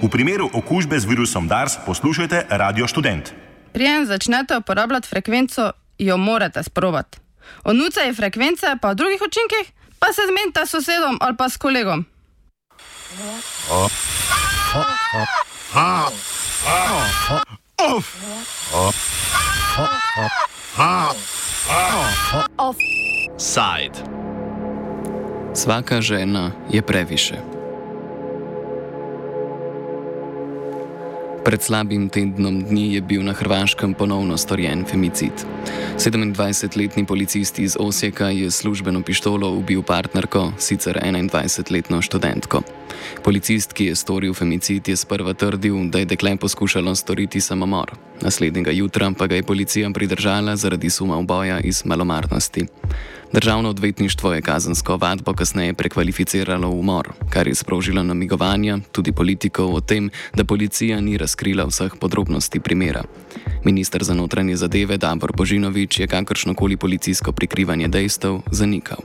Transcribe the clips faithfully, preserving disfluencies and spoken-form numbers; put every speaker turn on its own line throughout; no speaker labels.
V primeru okužbe z virusom DARS poslušajte Radio Študent.
Preden začnete uporabljati frekvenco, jo morate sprobati. O nucaji frekvence pa o drugih učinkih pa se zmenite s sosedom ali pa s kolegom.
Offside. Svaka žena je previše. Pred slabim tednom dni je bil na Hrvaškem ponovno storjen femicid. sedemindvajsetletni policist iz Osijeka je s službeno pištolo ubil partnerko, sicer enaindvajsetletno študentko. Policist, ki je storil femicid, je sprva trdil, da je dekle poskušalo storiti samomor. Naslednjega jutra pa ga je policija pridržala zaradi suma uboja iz malomarnosti. Državno odvetništvo je kazensko ovadbo kasneje prekvalificiralo v umor, kar je sprožilo namigovanja tudi politikov o tem, da policija ni razkrila vseh podrobnosti primera. Minister za notranje zadeve Davor Božinović je kakršnokoli policijsko prikrivanje dejstev zanikal.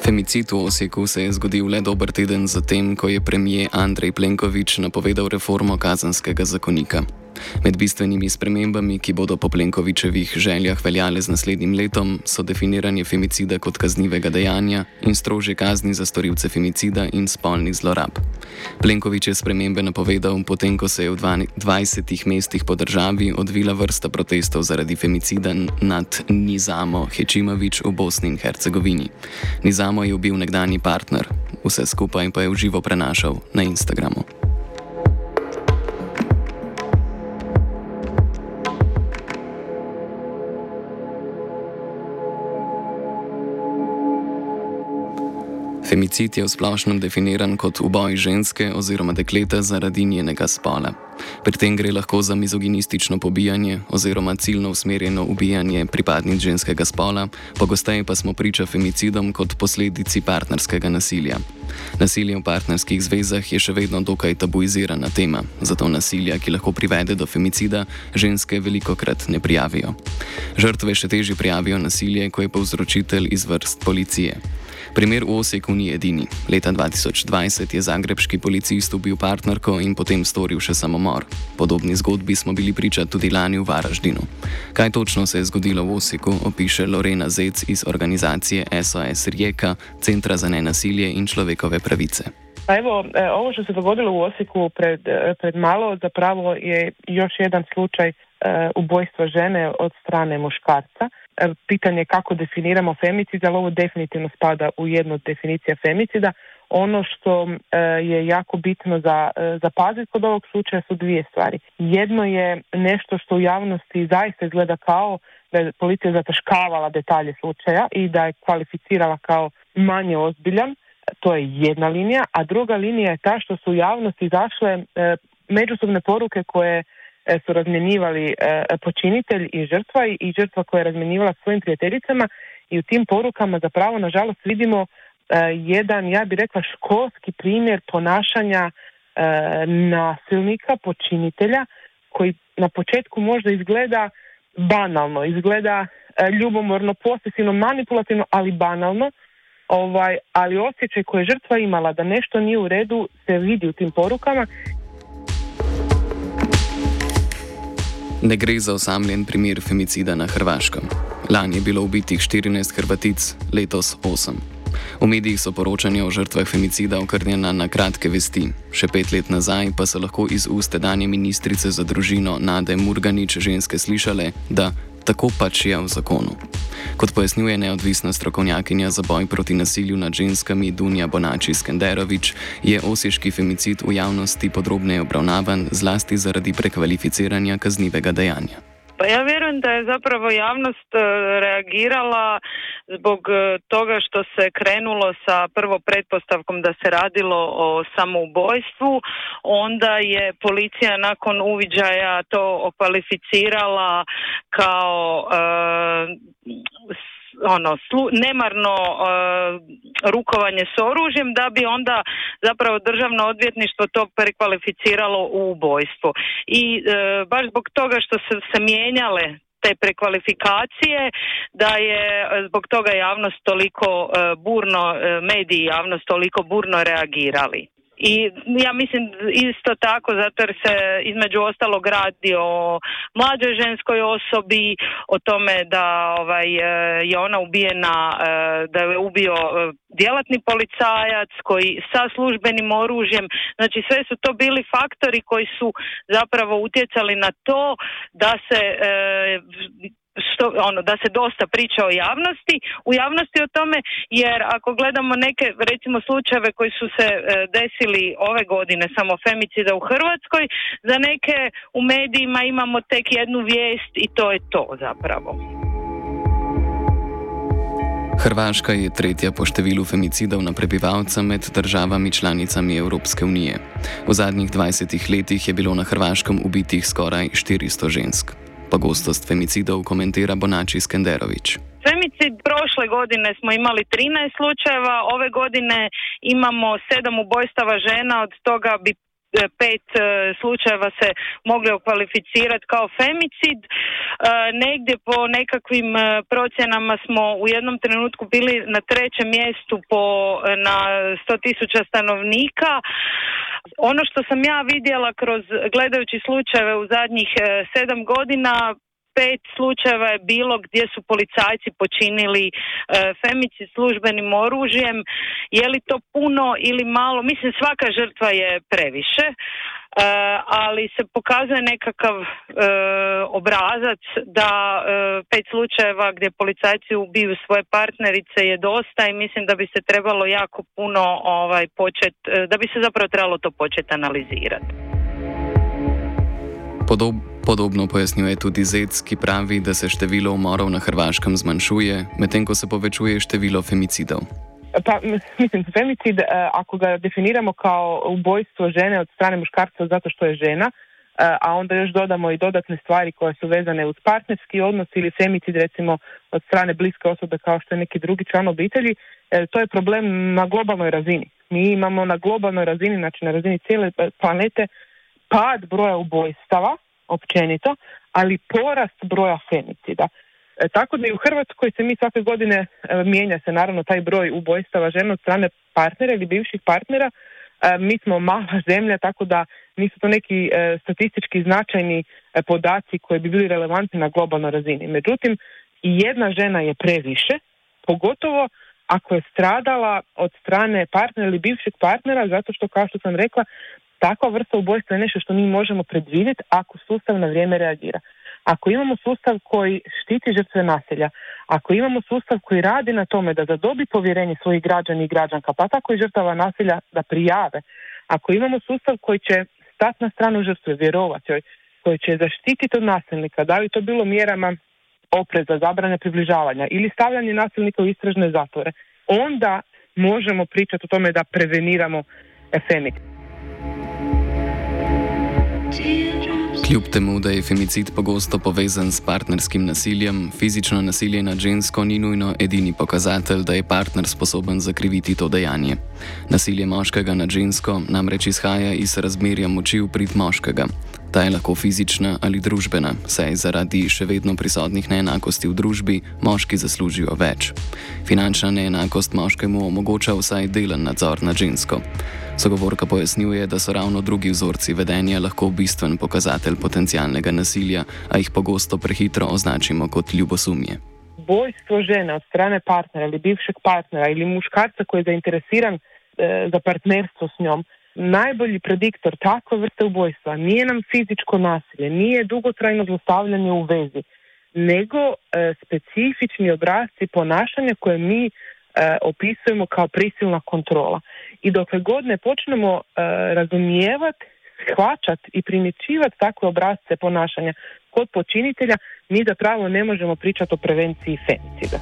Femicid v Osijeku se je zgodil le dober teden zatem, ko je premijer Andrej Plenković napovedal reformo kazenskega zakonika. Med bistvenimi spremembami, ki bodo po Plenkovićevih željah veljale z naslednjim letom, so definiranje femicida kot kaznivega dejanja in strožje kazni za storilce femicida in spolnih zlorab. Plenković je spremembe napovedal, potem ko se je v dvajsetih mestih po državi odvila vrsta protestov zaradi femicida nad Nizamo Hečimović v Bosni in Hercegovini. Nizamo je ubil nekdanji partner, vse skupaj pa je v živo prenašal na Instagramu. Femicid je v splošnem definiran kot uboj ženske oziroma dekleta zaradi njenega spola. Pri tem gre lahko za mizoginistično pobijanje oziroma ciljno usmerjeno ubijanje pripadnic ženskega spola, pogosteje pa smo priča femicidom kot posledici partnerskega nasilja. Nasilje v partnerskih zvezah je še vedno dokaj tabuizirana tema, zato nasilja, ki lahko privede do femicida, ženske velikokrat ne prijavijo. Žrtve še težje prijavijo nasilje, ko je povzročitelj iz vrst policije. Primer v Osijeku ni edini. Leta dva tisoč dvajset je zagrebški policist ubil partnerko in potem storil še samomor. Podobni zgodbi smo bili priča tudi lani v Varaždinu. Kaj točno se je zgodilo v Osijeku, opiše Lorena Zec iz organizacije S O S Rijeka, Centra za nenasilje in človekove pravice.
Pa evo, ovo što se dogodilo u Osijeku pred, pred malo zapravo je još jedan slučaj ubojstva žene od strane muškarca. Pitanje kako definiramo femicid, ali ovo definitivno spada u jednu od definicija femicida. Ono što je jako bitno za zapaziti kod ovog slučaja su dvije stvari. Jedno je nešto što u javnosti zaista izgleda kao da je policija zataškavala detalje slučaja i da je kvalificirala kao manje ozbiljan. To je jedna linija, a druga linija je ta što su u javnosti izašle međusobne poruke koje su razmjenjivali e, počinitelj i žrtva i, i žrtva koja je razmjenjivala svojim prijateljicama i u tim porukama zapravo nažalost vidimo e, jedan, ja bih rekla, školski primjer ponašanja e, nasilnika, počinitelja koji na početku možda izgleda banalno, izgleda e, ljubomorno, posesivno, manipulativno, ali banalno, ovaj, ali osjećaj koji je žrtva imala da nešto nije u redu se vidi u tim porukama.
Ne gre za osamljen primer femicida na Hrvaškem. Lani je bilo ubitih štirinajst Hrvatic, letos osem. V medijih so poročanja o žrtvah femicida okrnjena na kratke vesti. Še pet let nazaj pa so lahko iz ust tedanje ministrice za družino Nade Murganić ženske slišale, da tako pač je v zakonu. Kot pojasnjuje neodvisna strokovnjakinja za boj proti nasilju nad ženskami Dunja Bonači Skenderović, je osješki femicid v javnosti podrobneje obravnavan zlasti zaradi prekvalificiranja kaznivega dejanja.
Pa ja vjerujem da je zapravo javnost reagirala zbog toga što se krenulo sa prvo pretpostavkom da se radilo o samoubojstvu, onda je policija nakon uviđaja to okvalificirala kao uh, ono slu, nemarno uh, rukovanje s oružjem, da bi onda zapravo državno odvjetništvo to prekvalificiralo u ubojstvo. I uh, baš zbog toga što su se mijenjale te prekvalifikacije, da je zbog toga javnost toliko burno, mediji javnost toliko burno reagirali. I ja mislim isto tako zato jer se između ostalog radi o mlađoj ženskoj osobi, o tome da ovaj, je ona ubijena, da je ubio djelatni policajac koji sa službenim oružjem. Znači sve su to bili faktori koji su zapravo utjecali na to da se Što, ono, da se dosta priča o javnosti, u javnosti o tome, jer ako gledamo neke, recimo, slučajeve koji su se e, desili ove godine, samo femicida u Hrvatskoj, za neke u medijima imamo tek jednu vijest i to je to zapravo.
Hrvaška je tretja po številu femicidov na prebivalca med državami članicami Evropske unije. V zadnjih dvajsetih letih je bilo na Hrvaškem ubitih skoraj štiristo žensk. Pogostost femicidov komentira Bonači Skenderović.
Femicid prošle godine smo imali trinaest slučajeva, ove godine imamo sedam ubojstava žena, od toga bi pet slučajeva se mogli okvalificirati kao femicid. E, negdje po nekakvim procjenama smo u jednom trenutku bili na trećem mjestu po, na sto tisuća stanovnika. Ono što sam ja vidjela kroz gledajući slučajeve u zadnjih sedam godina, pet slučajeva je bilo gdje su policajci počinili e, femicid službenim oružjem. Je li to puno ili malo? Mislim, svaka žrtva je previše, e, ali se pokazuje nekakav e, obrazac da e, pet slučajeva gdje policajci ubiju svoje partnerice je dosta i mislim da bi se trebalo jako puno ovaj, počet, da bi se zapravo trebalo to početi analizirati.
Podob, podobno pojasnjuje tudi Zec, ki pravi, da se število umorov na Hrvaškem zmanjšuje, medtem ko se povečuje število femicidov.
Pa, mislim, femicid, ako ga definiramo kao ubojstvo žene od strane muškarca zato što je žena, a onda još dodamo i dodatne stvari koje su vezane uz partnerski odnos ili femicid recimo od strane bliske osobe kao što je neki drugi član obitelji, to je problem na globalnoj razini. Mi imamo na globalnoj razini, znači na razini cijele planete, pad broja ubojstava, općenito, ali porast broja femicida. E, tako da i u Hrvatskoj se mi svake godine e, mijenja se naravno taj broj ubojstava žena od strane partnera ili bivših partnera. E, mi smo mala zemlja, tako da nisu to neki e, statistički značajni e, podaci koji bi bili relevantni na globalnoj razini. Međutim, i jedna žena je previše, pogotovo ako je stradala od strane partnera ili bivšeg partnera, zato što, kao što sam rekla, takva vrsta ubojstva je nešto što mi možemo predvidjeti ako sustav na vrijeme reagira. Ako imamo sustav koji štiti žrtve nasilja, ako imamo sustav koji radi na tome da zadobi povjerenje svojih građana i građanka, pa tako i žrtava nasilja da prijave, ako imamo sustav koji će stati na stranu žrtve, vjerovati joj, koji će zaštititi od nasilnika, da li to bilo mjerama opreza, zabrane približavanja ili stavljanje nasilnika u istražne zatvore, onda možemo pričati o tome da preveniramo femicid.
Kljub temu, da je femicid pogosto povezan s partnerskim nasiljem, fizično nasilje nad žensko ni nujno edini pokazatelj, da je partner sposoben zakriviti to dejanje. Nasilje moškega nad žensko namreč izhaja iz razmerja moči v prid moškega. Ta je lahko fizična ali družbena, saj zaradi še vedno prisotnih neenakosti v družbi moški zaslužijo več. Finančna neenakost moškemu omogoča vsaj delen nadzor nad žensko. Sogovorka pojasnjuje, da so ravno drugi vzorci vedenja lahko bistven pokazatelj potencialnega nasilja, a jih pogosto prehitro označimo kot ljubosumje.
Ubojstvo žene od strane partnera ili bivšeg partnera ili muškarca koji je zainteresiran e, za partnerstvo s njom, najbolji prediktor takve vrste ubojstva nije nam fizičko nasilje, nije dugotrajno zlostavljanje u vezi, nego e, specifični obrasci ponašanja koje mi e, opisujemo kao prisilna kontrola. I dokle god ne počnemo e, razumijevati, shvaćati i primjećivati takve obrasce ponašanja kod počinitelja, mi zapravo ne možemo pričati o prevenciji femicida.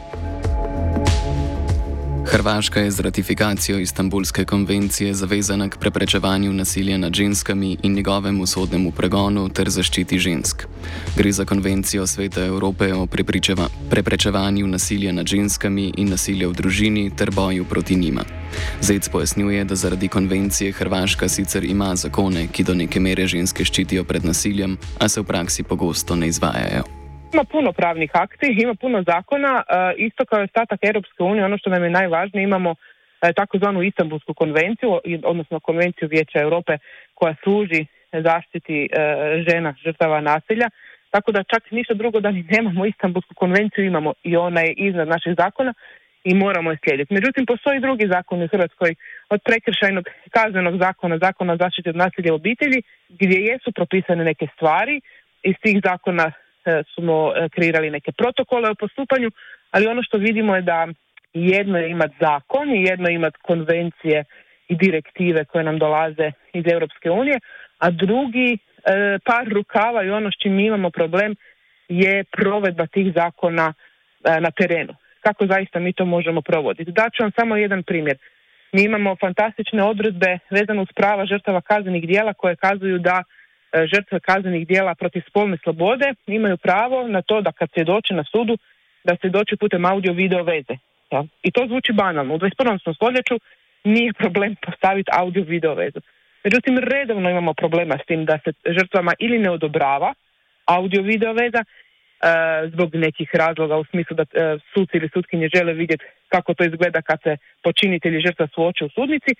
Hrvaška je z ratifikacijo Istanbulske konvencije zavezana k preprečevanju nasilja nad ženskami in njegovemu sodnemu pregonu ter zaščiti žensk. Gre za konvencijo Sveta Evrope o preprečevanju nasilja nad ženskami in nasilja v družini ter boju proti njima. Zec pojasnjuje, da zaradi konvencije Hrvaška sicer ima zakone, ki do neke mere ženske ščitijo pred nasiljem, a se v praksi pogosto ne izvajajo.
Ima puno pravnih akti, ima puno zakona, isto kao i ostatak Europske unije, ono što nam je najvažnije, imamo takozvanu Istanbulsku konvenciju, odnosno konvenciju Vijeća Europe koja služi zaštiti žena žrtava nasilja, tako da čak ništa drugo da ni nemamo Istanbulsku konvenciju, imamo i ona je iznad naših zakona i moramo je slijediti. Međutim, postoji drugi zakon u Hrvatskoj, od prekršajnog kaznenog zakona, zakona o zaštiti od nasilja u obitelji, gdje jesu propisane neke stvari. Iz tih zakona smo kreirali neke protokole o postupanju, ali ono što vidimo je da jedno je imati zakon i jedno je imati konvencije i direktive koje nam dolaze iz Europske unije, a drugi e, par rukava i ono s čim mi imamo problem je provedba tih zakona e, na terenu. Kako zaista mi to možemo provoditi? Daću vam samo jedan primjer. Mi imamo fantastične odredbe vezane uz prava žrtava kaznenih djela koje kazuju da e, žrtve kaznenih djela protiv spolne slobode imaju pravo na to da kad svjedoče na sudu, da svjedoče putem audio-video veze. Ja? I to zvuči banalno. U dvadeset prvom stoljeću nije problem postaviti audio-video vezu. Međutim, redovno imamo problema s tim da se žrtvama ili ne odobrava audio-video veza, zbog nekih razloga u smislu da suci ili sutkinje žele vidjeti kako to izgleda kad se počinitelji žrtva suoče u sudnici,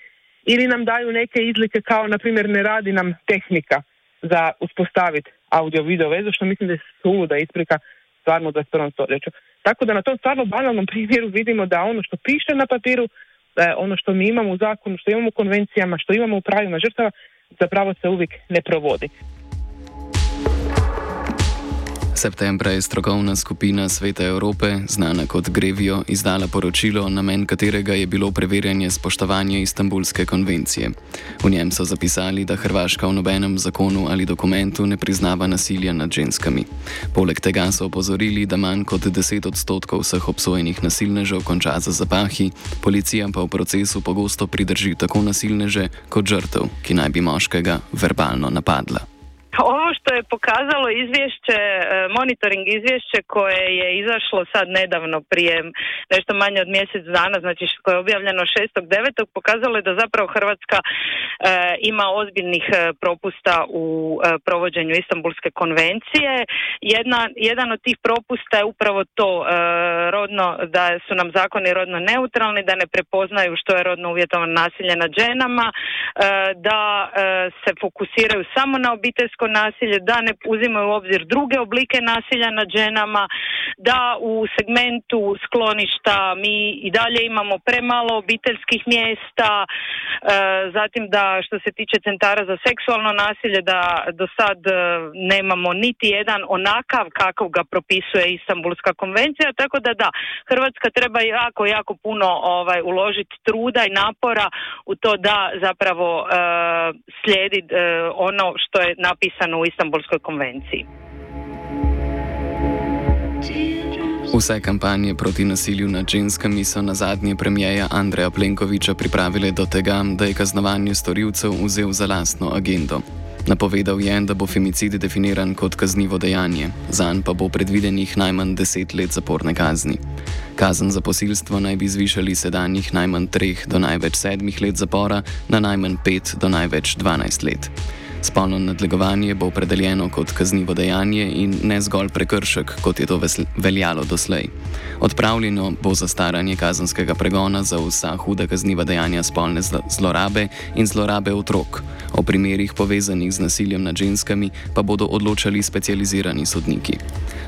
ili nam daju neke izlike kao, na primjer, ne radi nam tehnika za uspostaviti audio-video vezu, što mislim da je suluda isprika stvarno u dvadeset prvom stoljeću. Tako da na tom stvarno banalnom primjeru vidimo da ono što piše na papiru, ono što mi imamo u zakonu, što imamo u konvencijama, što imamo u pravima žrtava, zapravo se uvijek ne provodi.
Septembra je strokovna skupina Sveta Evrope, znana kot Grevio, izdala poročilo, namen katerega je bilo preverjanje spoštovanja Istanbulske konvencije. V njem so zapisali, da Hrvaška v nobenem zakonu ali dokumentu ne priznava nasilja nad ženskami. Poleg tega so opozorili, da manj kot deset odstotkov vseh obsojenih nasilnežev konča za zapahi, policija pa v procesu pogosto pridrži tako nasilneže kot žrtev, ki naj bi moškega verbalno napadla.
Ovo što je pokazalo izvješće, monitoring izvješće koje je izašlo sad nedavno prije nešto manje od mjesec dana, znači koje je objavljeno šestog devetog pokazalo je da zapravo Hrvatska e, ima ozbiljnih propusta u e, provođenju Istanbulske konvencije. Jedna, jedan od tih propusta je upravo to e, rodno, da su nam zakoni rodno neutralni, da ne prepoznaju što je rodno uvjetovano nasilje nad ženama, e, da e, se fokusiraju samo na obiteljsko nasilje, da ne uzimaju u obzir druge oblike nasilja nad ženama, da u segmentu skloništa mi i dalje imamo premalo obiteljskih mjesta, e, zatim da što se tiče centara za seksualno nasilje da do sad e, nemamo niti jedan onakav kakav ga propisuje Istanbulska konvencija, tako da da, Hrvatska treba jako, jako puno ovaj, uložiti truda i napora u to da zapravo e, slijedi e, ono što je napisano u Istanbulskoj konvenciji.
Vse kampanje proti nasilju nad ženskami so na zadnje premijeja Andreja Plenkovića pripravile do tega, da je kaznovanje storilcev vzel za lastno agendo. Napovedal je, da bo femicid definiran kot kaznivo dejanje, zanj pa bo predvidenih najmanj deset let zaporne kazni. Kazen za posilstvo naj bi zvišali sedanjih najmanj treh do največ sedmih let zapora na najmanj pet do največ dvanajst let. Spolno nadlegovanje bo opredeljeno kot kaznivo dejanje in ne zgolj prekršek, kot je to veljalo doslej. Odpravljeno bo zastaranje kazenskega pregona za vsa huda kazniva dejanja spolne zlorabe in zlorabe otrok. O primerih povezanih z nasiljem nad ženskami pa bodo odločali specializirani sodniki.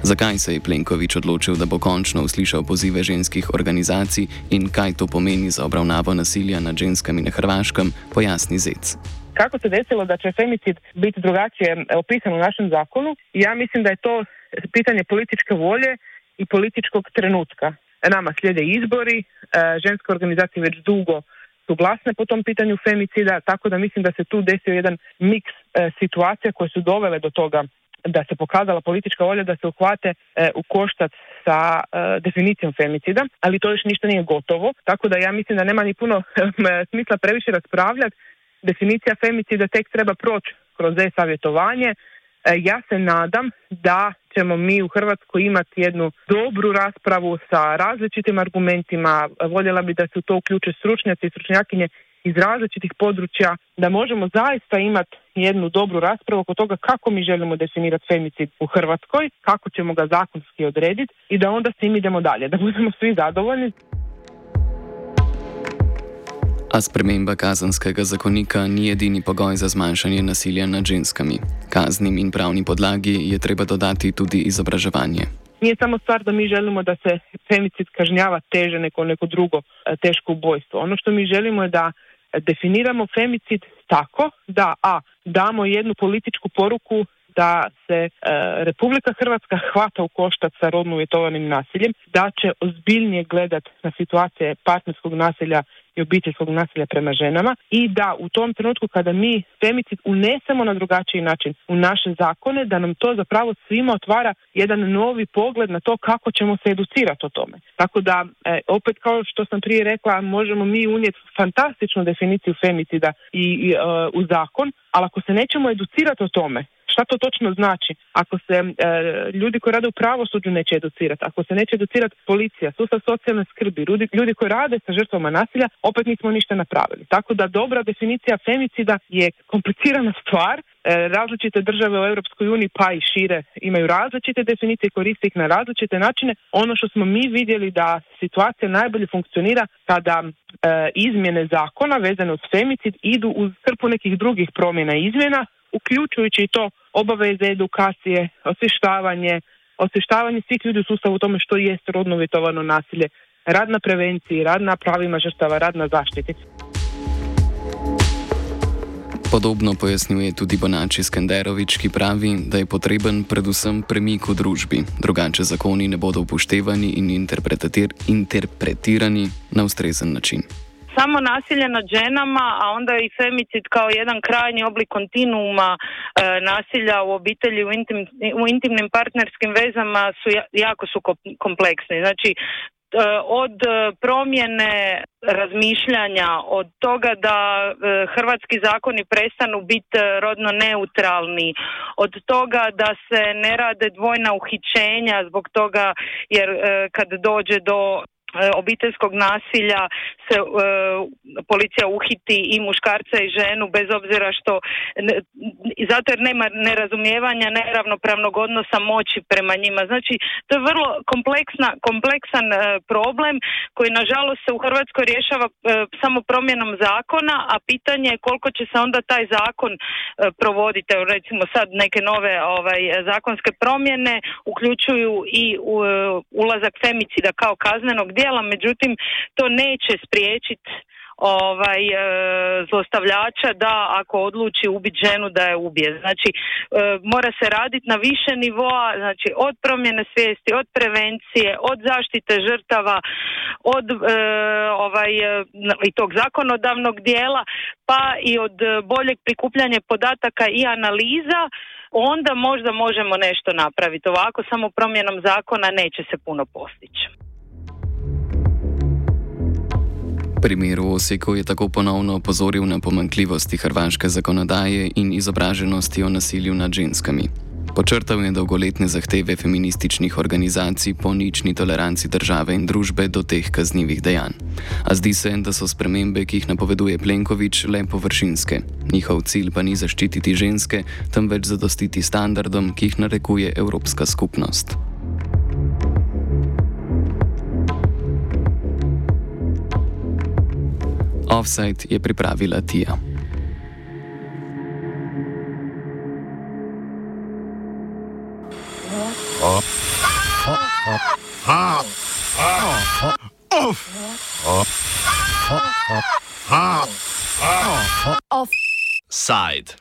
Zakaj se je Plenković odločil, da bo končno uslišal pozive ženskih organizacij in kaj to pomeni za obravnavo nasilja nad ženskami na Hrvaškem, pojasni Zec.
Kako se desilo da će femicid biti drugačije opisan u našem zakonu? Ja mislim da je to pitanje političke volje i političkog trenutka. Nama slijede izbori, ženske organizacije već dugo su glasne po tom pitanju femicida, tako da mislim da se tu desio jedan miks situacija koje su dovele do toga da se pokazala politička volja da se uhvate u koštac sa definicijom femicida, ali to još ništa nije gotovo, tako da ja mislim da nema ni puno smisla previše raspravljati. Definicija femicida tek treba proći kroz e-savjetovanje. Ja se nadam da ćemo mi u Hrvatskoj imati jednu dobru raspravu sa različitim argumentima. Voljela bi da se u to uključe stručnjaci i stručnjakinje iz različitih područja, da možemo zaista imati jednu dobru raspravu oko toga kako mi želimo definirati femicid u Hrvatskoj, kako ćemo ga zakonski odrediti i da onda s tim idemo dalje, da budemo svi zadovoljni.
A sprememba kazenskega zakonika ni edini pogoj za zmanjšanje nasilja nad ženskami. Kaznim in pravni podlagi je treba dodati tudi izobraževanje.
Nije samo stvar da mi želimo da se femicid kažnjava teže nego neko drugo teško ubojstvo. Ono što mi želimo je da definiramo femicid tako da a, damo jednu političku poruku da se e, Republika Hrvatska hvata u koštac sa rodno uvjetovanim nasiljem, da će ozbiljnije gledati na situacije partnerskog nasilja i obiteljskog nasilja prema ženama i da u tom trenutku kada mi femicid unesemo na drugačiji način u naše zakone, da nam to zapravo svima otvara jedan novi pogled na to kako ćemo se educirati o tome. Tako da, e, opet kao što sam prije rekla, možemo mi unijeti fantastičnu definiciju femicida i, i e, u zakon, ali ako se nećemo educirati o tome, šta to točno znači? Ako se e, ljudi koji rade u pravosuđu neće educirati, ako se neće educirati policija, sustav socijalne skrbi, ljudi, ljudi koji rade sa žrtvama nasilja, opet nismo ništa napravili. Tako da dobra definicija femicida je komplicirana stvar. E, različite države u Europskoj uniji pa i šire imaju različite definicije, koriste ih na različite načine. Ono što smo mi vidjeli da situacija najbolje funkcionira kada e, izmjene zakona vezane uz femicid idu uz hrpu nekih drugih promjena i izmjena, uključujući i to obaveze edukacije, osvještavanje, osvještavanje svih ljudi u sustavu u tome što jest rodno uvjetovano nasilje, rad na prevenciji, rad na pravima žrtava, rad na zaštiti.
Podobno pojasnjuje tudi Bonači Skenderovič, ki pravi, da je potreben predvsem premik v družbi, drugače zakoni ne bodo upoštevani in interpretir interpretirani na ustrezen način.
Samo nasilje nad ženama, a onda i femicid kao jedan krajnji oblik kontinuuma e, nasilja u obitelji, u, intim, u intimnim partnerskim vezama su jako su kompleksni. Znači, e, od promjene razmišljanja, od toga da e, hrvatski zakoni prestanu biti rodno neutralni, od toga da se ne rade dvojna uhićenja zbog toga jer e, kad dođe do obiteljskog nasilja se e, policija uhiti i muškarca i ženu bez obzira što ne, zato jer nema nerazumijevanja, neravnopravnog odnosa moći prema njima. Znači to je vrlo kompleksna, kompleksan e, problem koji nažalost se u Hrvatskoj rješava e, samo promjenom zakona, a pitanje je koliko će se onda taj zakon e, provoditi. Recimo sad neke nove ovaj, zakonske promjene uključuju i u, e, ulazak femicida kao kaznenog djela, međutim to neće spriječiti ovaj e, zlostavljača da ako odluči ubiti ženu da je ubije. Znači e, mora se raditi na više nivoa, znači od promjene svijesti, od prevencije, od zaštite žrtava, od e, ovaj i tog zakonodavnog dijela, pa i od boljeg prikupljanja podataka i analiza. Onda možda možemo nešto napraviti. Ovako samo promjenom zakona neće se puno postići.
Primer v Osijeku je tako ponovno opozoril na pomanjkljivosti hrvaške zakonodaje in izobraženosti o nasilju nad ženskami. Počrtal je dolgoletne zahteve feminističnih organizacij po nični toleranci države in družbe do teh kaznjivih dejanj. A zdi se, da so spremembe, ki jih napoveduje Plenković, le površinske. Njihov cilj pa ni zaščititi ženske, temveč zadostiti standardom, ki jih narekuje Evropska skupnost. Offside je pripravila Tija.
Offside.